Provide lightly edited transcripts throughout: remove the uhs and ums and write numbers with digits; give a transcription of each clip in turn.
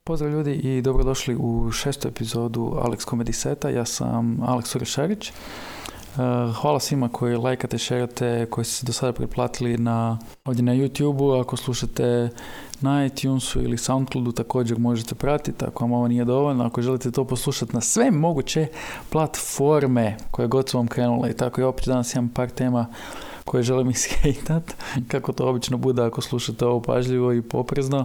Pozdrav ljudi i dobrodošli u 6. epizodu Alex Comedy Seta. Ja sam Alex Urešarić. Hvala svima koji lajkate, šerate, koji ste se do sada pretplatili ovdje na YouTube-u. Ako slušate na iTunesu ili Soundcloudu također možete pratiti ako vam ovo nije dovoljno. Ako želite to poslušati na sve moguće platforme koje god su vam krenule i tako. I opet danas imam par tema koje želim ishejtat, kako to obično bude ako slušate ovo pažljivo i poprezno.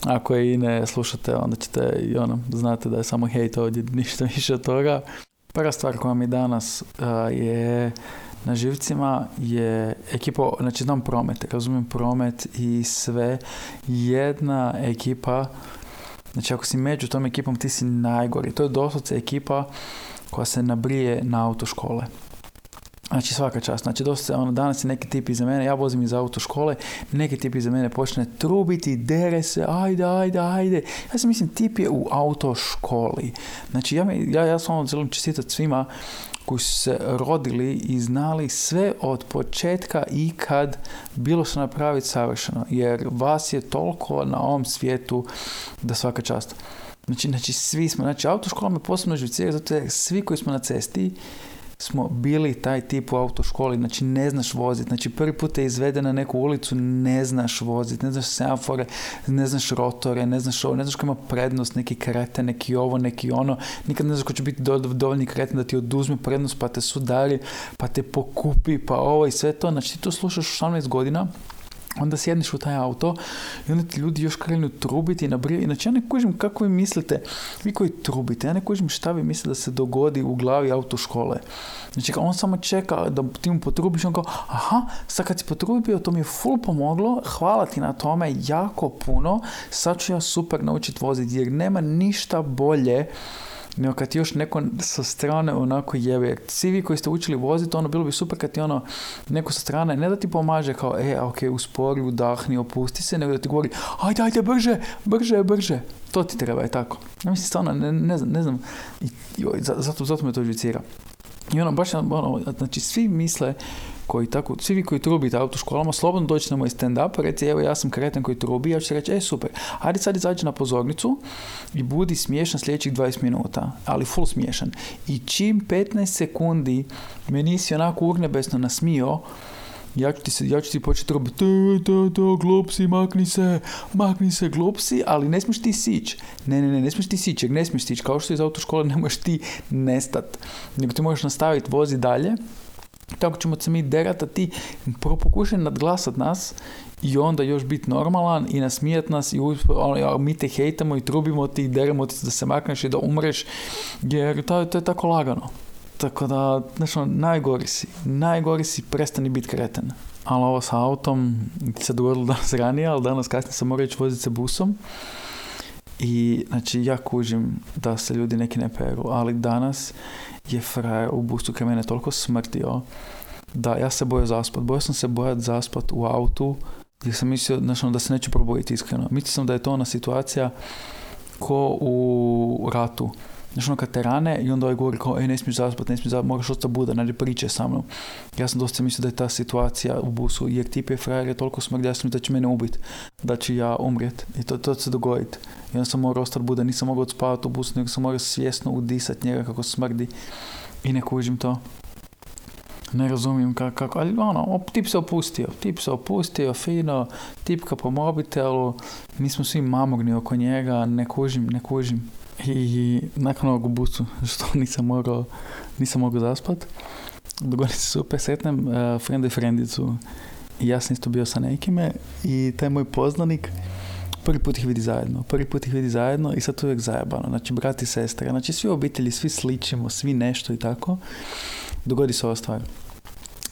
Ako je i ne slušate, onda ćete znate da je samo hejt ovdje, ništa više od toga. Prva stvar koja mi danas je na živcima je ekipa, znači znam promet, razumijem promet i sve. Jedna ekipa, znači ako si među tom ekipom ti si najgori. To je doslovce ekipa koja se nabrije na autoškole. Znači svaka čast, znači dosta danas je neki tip iza mene, ja vozim iz autoškole, neki tip iza mene počne trubiti, dere se, ajde. Ja sam mislim tip je u autoškoli. Znači ja sam želim čestitati svima koji su se rodili i znali sve od početka i kad bilo što napraviti savršeno, jer vas je toliko na ovom svijetu da svaka čast. Znači svi smo, znači autoškola me posebno živcira, zato je svi koji smo na cesti smo bili taj tip u autoškoli, znači ne znaš voziti, znači prvi put te izvede na neku ulicu, ne znaš voziti, ne znaš semafore, ne znaš rotore, ne znaš ovo, ne znaš ko ima prednost, neki kreten, neki ovo, neki ono, nikad ne znaš ko će biti dovoljni kreten da ti oduzme prednost, pa te sudari, pa te pokupi, pa ovo i sve to, znači ti to slušaš 18 godina, onda sjedniš u taj auto i onda ti ljudi još krenu trubiti i nabrijati. Znači ja ne kužim kako vi mislite, vi koji trubite, ja ne kužim šta vi mislite da se dogodi u glavi autoškole. Znači on samo čeka da ti mu potrubiš, on kao, aha, sad kad si potrubio, to mi je full pomoglo, hvala ti na tome, jako puno, sad ću ja super naučiti voziti, jer nema ništa bolje nego kad ti još neko sa strane onako jebe. Jer svi vi koji ste učili voziti, bilo bi super kad ti neko sa strane, ne da ti pomaže kao, uspori, udahni, opusti se, nego da ti govori, ajde, brže. To ti treba, je tako. Ja mislim, stvarno, ne znam, zato me to živcira. I znači svi misle svi vi koji trubite autoškolama, slobodno dođite na moj stand-up, reci, evo ja sam kreten koji trubi, ja ću reći, super, ajde sad izađi na pozornicu i budi smiješan sljedećih 20 minuta, ali full smiješan. I čim 15 sekundi me nisi onako urnebesno nasmio, ja ću ti početi trubiti, glupsi, makni se, glupsi, ali ne smiješ ti sići. Ne smiješ ti sići, jer ne smiješ sići, kao što iz autoškole ne možeš ti nestat, nego ti možeš nastaviti vozi dalje. Tako ćemo se mi derati, a ti pokušaj nadglasat nas i onda još biti normalan i nasmijat nas i mi te hejtamo i trubimo ti i deremo ti da se makneš i da umreš, jer to je tako lagano. Tako da, najgori si, prestani biti kreten. Ali ovo sa autom se dogodilo danas ranije, ali danas kasnije sam morao ići voziti se busom. I znači ja kužim da se ljudi neki ne peru, ali danas je frajer u busu kraj mene toliko smrtio da ja se bojao zaspat. Bojao sam se zaspat u autu jer sam mislio da se neću probojiti iskreno. Mislio sam da je to ona situacija ko u ratu. Znači kad te rane i onda govori kao ne smiješ zaspat, moraš ostati budan, znači priče sa mnom. Ja sam dosta mislio da je ta situacija u busu, jer tip je frajer je toliko smrdi, ja sam da će mene ubiti, da će ja umrijet i to se dogoditi. I onda sam morao ostati budan, nisam mogao odspavati u busu, nego sam morao svjesno udisati njega kako smrdi i ne kužim to. Ne razumijem kako, ali tip se opustio, fino, tipka po mobitelu, mi smo svi mamurni oko njega, ne kužim. I nakon ovog u busu, što nisam mogao zaspat, dogodi se super, sretnem frenda i frendicu i ja sam isto bio sa nekime i taj moj poznanik prvi put ih vidi zajedno i sad to je uvijek zajebano, znači brat i sestra, znači svi obitelji, svi sličimo, svi nešto i tako, dogodi se ova stvar.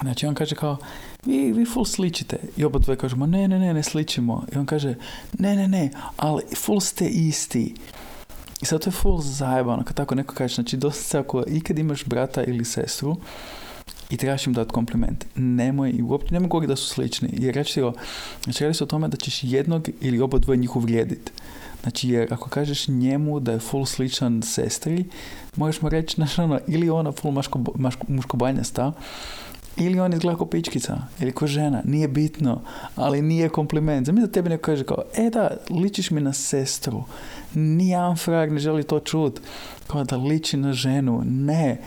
Znači on kaže kao, vi full sličite. I oba dvoje kažemo, ne sličimo. I on kaže, ne, ali full ste isti. I sad to je full zajebano, kad tako neko kaže, znači dosta se ako ikad imaš brata ili sestru i trebaš im dati kompliment, nemoj govoriti da su slični, jer radi se o tome da ćeš jednog ili oba dvoje njih uvrijediti. Znači, jer ako kažeš njemu da je full sličan sestri, možeš mu reći, ili ona full muškobanjasta, Ili on izgleda ko pičkica, ili ko žena, nije bitno, ali nije kompliment. Zamisli da tebi neko kaže kao, da, ličiš mi na sestru. Nijedan frajer ne želi to čut. Kao da liči na ženu. Ne.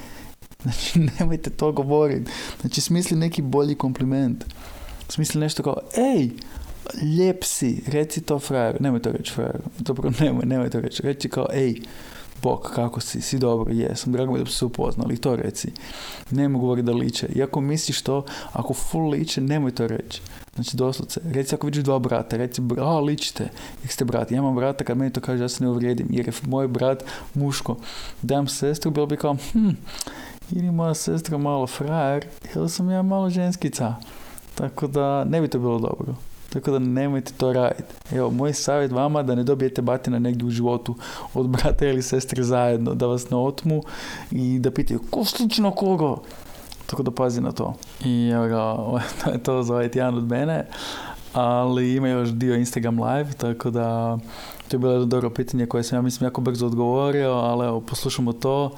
Znači, nemojte to govoriti. Znači, smisli neki bolji kompliment. Smisli nešto kao, lijep si, reci to frajeru. Nemoj to reći frajeru. Dobro, nemoj to reći. Reci kao, bok, kako si dobro, jesam, drago mi da se upoznali, to reci. Nemoj govoriti da liče. Iako misliš to, ako full liče, nemoj to reći. Znači, doslovce, reci ako vidiš dva brata, reci, ličite, jer ste brati. Ja imam brata, kad meni to kaže, ja se ne uvrijedim, jer je moj brat muško. Dam sestru, bilo bi kao, ili moja sestra malo frajer, ili sam ja malo ženskica. Tako da, ne bi to bilo dobro. Tako da nemojte to raditi. Evo, moj savjet vama da ne dobijete batina negdje u životu od brata ili sestre zajedno, da vas ne otmu i da pitaju ko slično koga. Tako da pazi na to. I evo ga, to je to za ovaj tjedan od mene, ali ima još dio Instagram live, tako da to je bilo jedno dobro pitanje koje sam ja mislim jako brzo odgovorio, ali evo, poslušamo to.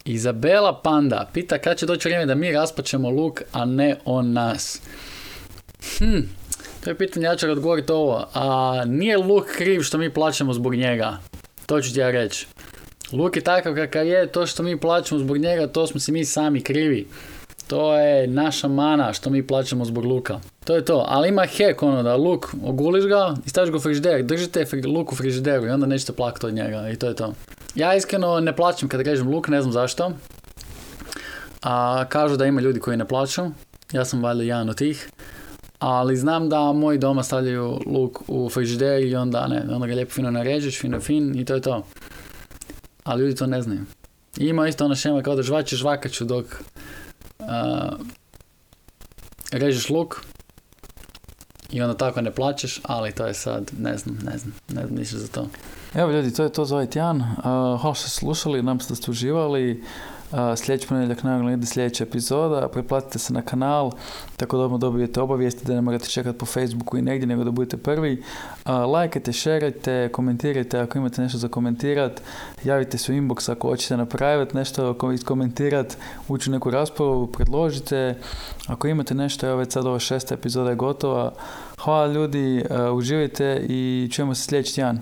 Izabela Panda pita kad će doći vrijeme da mi raspačemo Luk, a ne on nas. To je pitanje, ja ću odgovoriti ovo. Nije Luk kriv što mi plaćamo zbog njega. To ću ti ja reći. Luk je takav kakav je, to što mi plaćamo zbog njega, to smo si mi sami krivi. To je naša mana što mi plaćamo zbog Luka. To je to. Ali ima hack da Luk oguliš ga i staviš ga u frižider. Držite Luk u frižideru i onda nećete plakati od njega. I to je to. Ja iskreno ne plaćam kada kažem Luk, ne znam zašto. Kažu da ima ljudi koji ne plaću. Ja sam valjda jedan od tih. Ali znam da moji doma stavljaju luk u frižider i onda ga lijepo fino narežeš, fin i to je to. Ali ljudi to ne znaju. I ima isto ona šema kao da žvačeš žvakaću dok režeš luk i onda tako ne plaćeš, ali to je sad, ne znam ništa za to. Evo ljudi, to je to za ovaj tjedan. Hvala što ste slušali, nam ste uživali. Sljedeći ponedjeljak naravno ide sljedeća epizoda, preplatite se na kanal tako da dobijete obavijesti, da ne morate čekati po Facebooku i negdje, nego da budete prvi. Lajkajte, šerajte, komentirajte ako imate nešto za komentirati, javite se u inbox ako hoćete napraviti nešto, komentirati, ući u neku raspravu, predložite. Ako imate nešto, evo već sad ova 6. epizoda je gotova. Hvala ljudi, uživajte i čujemo se sljedeći tjedan.